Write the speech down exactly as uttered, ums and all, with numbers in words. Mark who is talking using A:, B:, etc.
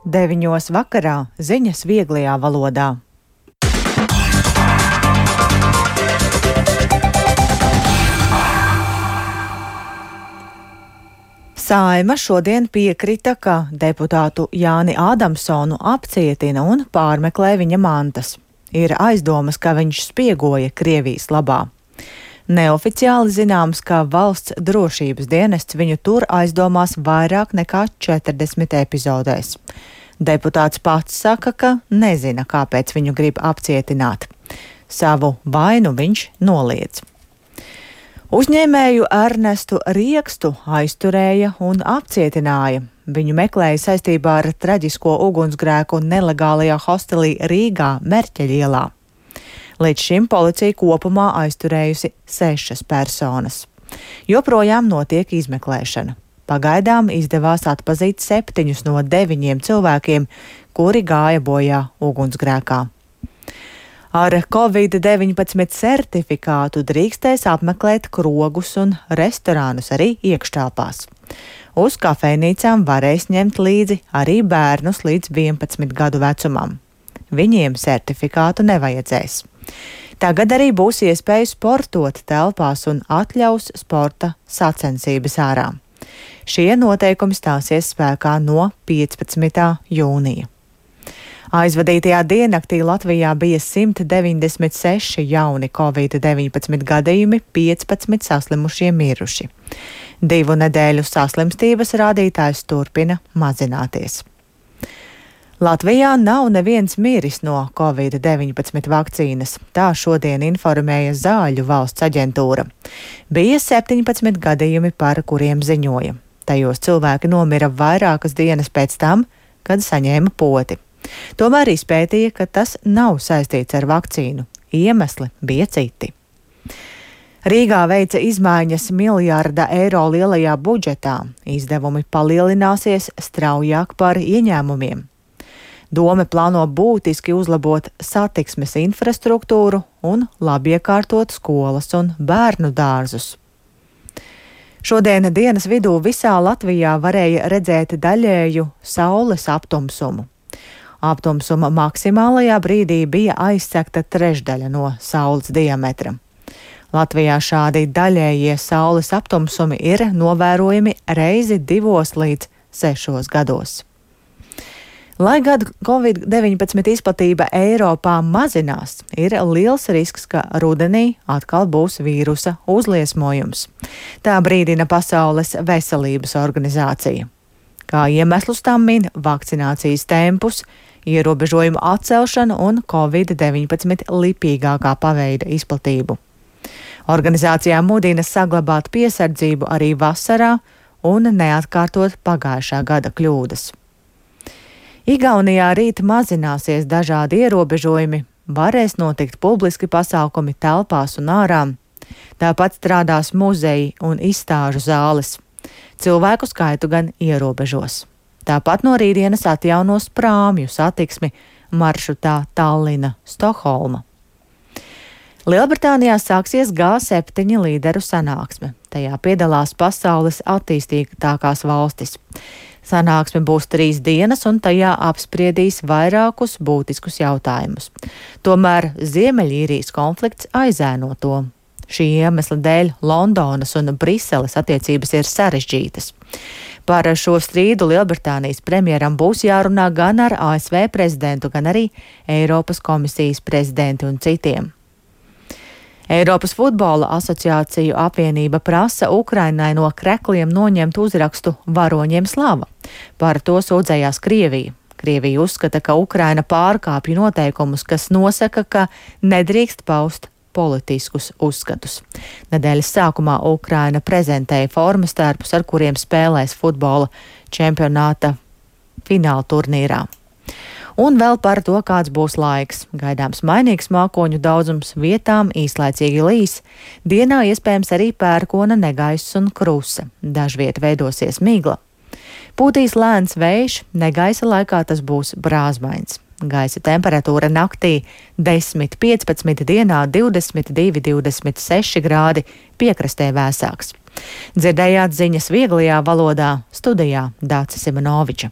A: Deviņos vakarā ziņas vieglajā valodā. Saeima šodien piekrita, ka deputātu Jāni Ādamsonu apcietina un pārmeklē viņa mantas. Ir aizdomas, ka viņš spiegoja Krievijas labā. Neoficiāli zināms, ka valsts drošības dienests viņu tur aizdomās vairāk nekā četrdesmit epizodēs. Deputāts pats saka, ka nezina, kāpēc viņu grib apcietināt. Savu vainu viņš noliedz. Uzņēmēju Ernestu Riekstu aizturēja un apcietināja. Viņu meklēja saistībā ar traģisko ugunsgrēku nelegālajā hostelī Rīgā, Merķeļa ielā. Līdz šim policija kopumā aizturējusi sešas personas. Joprojām notiek izmeklēšana. Pagaidām izdevās atpazīt septiņus no deviņiem cilvēkiem, kuri gāja bojā ugunsgrēkā. Ar covid deviņpadsmit certifikātu drīkstēs apmeklēt krogus un restorānus arī iekštelpās. Uz kafejnīcām varēs ņemt līdzi arī bērnus līdz vienpadsmit gadu vecumam. Viņiem certifikātu nevajadzēs. Tagad arī būs iespēja sportot telpās un atļaus sporta sacensības ārā. Šie noteikumi stāsies spēkā no piecpadsmitā jūnija. Aizvadītajā diennaktī Latvijā bija simt deviņdesmit seši jauni covid deviņpadsmit gadījumi, piecpadsmit saslimušie miruši. Divu nedēļu saslimstības rādītājs turpina mazināties. Latvijā nav neviens miris no covid deviņpadsmit vakcīnas, tā šodien informēja Zāļu valsts aģentūra. Bija septiņpadsmit gadījumi, par kuriem ziņoja. Tajos cilvēki nomira vairākas dienas pēc tam, kad saņēma poti. Tomēr izpētīja, ka tas nav saistīts ar vakcīnu. Iemesli bija citi. Rīgā veica izmaiņas miljārda eiro lielajā budžetā. Izdevumi palielināsies straujāk par ieņēmumiem. Dome plāno būtiski uzlabot satiksmes infrastruktūru un labiekārtot skolas un bērnu dārzus. Šodien dienas vidū visā Latvijā varēja redzēt daļēju saules aptumsumu. Aptumsuma maksimālajā brīdī bija aizsegta trešdaļa no saules diametra. Latvijā šādi daļējie saules aptumsumi ir novērojami reizi divos līdz sešos gados. Lai gan covid deviņpadsmit izplatība Eiropā mazinās, ir liels risks, ka rudenī atkal būs vīrusa uzliesmojums. Tā brīdina Pasaules veselības organizācija. Kā iemeslus tam min vakcinācijas tempus, ierobežojumu atcelšanu un covid deviņpadsmit lipīgākā paveida izplatību. Organizācijā mudina saglabāt piesardzību arī vasarā un neatkārtot pagājušā gada kļūdas. Igaunijā rīt mazināsies dažādi ierobežojumi, varēs notikt publiski pasākumi telpās un ārā. Tāpat strādās muzeji un izstāžu zāles. Cilvēku skaitu gan ierobežos. Tāpat no rītdienas atjaunos prāmju satiksmi maršrutā Tallina–Stokholma. Lielbritānijā sāksies G septiņi līderu sanāksme. Tajā piedalās pasaules attīstītākās valstis. Sanāksme būs trīs dienas, un tajā apspriedīs vairākus būtiskus jautājumus. Tomēr Ziemeļīrijas konflikts aizēno to. Šī iemesla dēļ Londonas un Briseles attiecības ir sarežģītas. Par šo strīdu Lielbritānijas premjeram būs jārunā gan ar A S V prezidentu, gan arī Eiropas komisijas prezidentu un citiem. Eiropas futbola asociāciju apvienība prasa Ukrainai no krekliem noņemt uzrakstu Varoņiem slava. Par to sūdzējās Krievija. Krievija uzskata, ka Ukraina pārkāpj noteikumus, kas nosaka, ka nedrīkst paust politiskus uzskatus. Nedēļas sākumā Ukraina prezentēja formas tērpus, ar kuriem spēlēs futbola čempionāta fināla turnīrā. Un vēl par to, kāds būs laiks. Gaidāms mainīgs mākoņu daudzums, vietām īslaicīgi līs, dienā iespējams arī pērkona negaiss un krusa. Dažviet veidosies migla. Pūtīs lēns vējš, negaisa laikā tas būs brāzmains. Gaisa temperatūra naktī desmit piecpadsmit, dienā divdesmit divi divdesmit seši grādi, piekrastē vēsāks. Dzirdējāt ziņas vieglajā valodā, studijā Dācis Simonoviča.